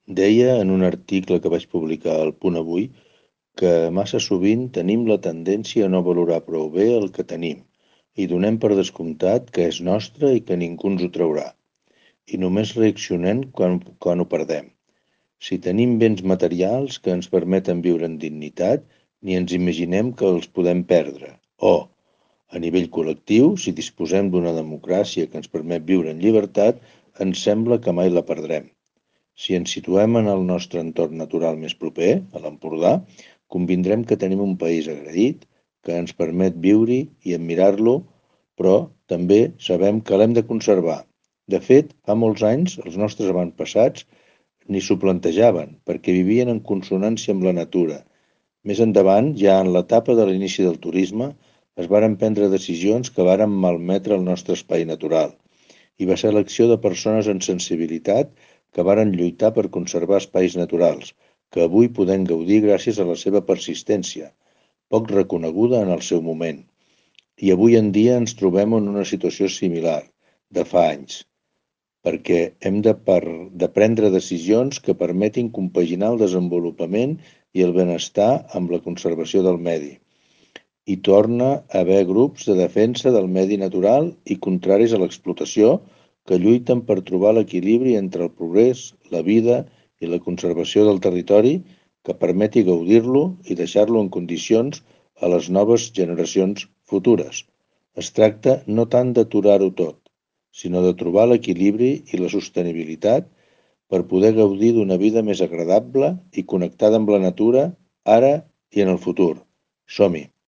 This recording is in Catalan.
Deia en un article que vaig publicar al Punt Avui que massa sovint tenim la tendència a no valorar prou bé el que tenim i donem per descomptat que és nostre i que ningú ens ho traurà. I només reaccionem quan ho perdem. Si tenim béns materials que ens permeten viure en dignitat, ni ens imaginem que els podem perdre. O, a nivell col·lectiu, si disposem d'una democràcia que ens permet viure en llibertat, ens sembla que mai la perdrem. Si ens situem en el nostre entorn natural més proper, a l'Empordà, convindrem que tenim un país agraït, que ens permet viure-hi i admirar-lo, però també sabem que l'hem de conservar. De fet, fa molts anys, els nostres avantpassats ni s'ho plantejaven, perquè vivien en consonància amb la natura. Més endavant, ja en l'etapa de l'inici del turisme, es varen prendre decisions que varen malmetre el nostre espai natural i va ser l'acció de persones amb sensibilitat que varen lluitar per conservar espais naturals, que avui podem gaudir gràcies a la seva persistència, poc reconeguda en el seu moment. I avui en dia ens trobem en una situació similar, de fa anys, perquè hem de prendre decisions que permetin compaginar el desenvolupament i el benestar amb la conservació del medi. Hi torna a haver grups de defensa del medi natural i contraris a l'explotació que lluiten per trobar l'equilibri entre el progrés, la vida i la conservació del territori que permeti gaudir-lo i deixar-lo en condicions a les noves generacions futures. Es tracta no tant d'aturar-ho tot, sinó de trobar l'equilibri i la sostenibilitat per poder gaudir d'una vida més agradable i connectada amb la natura ara i en el futur. Som-hi!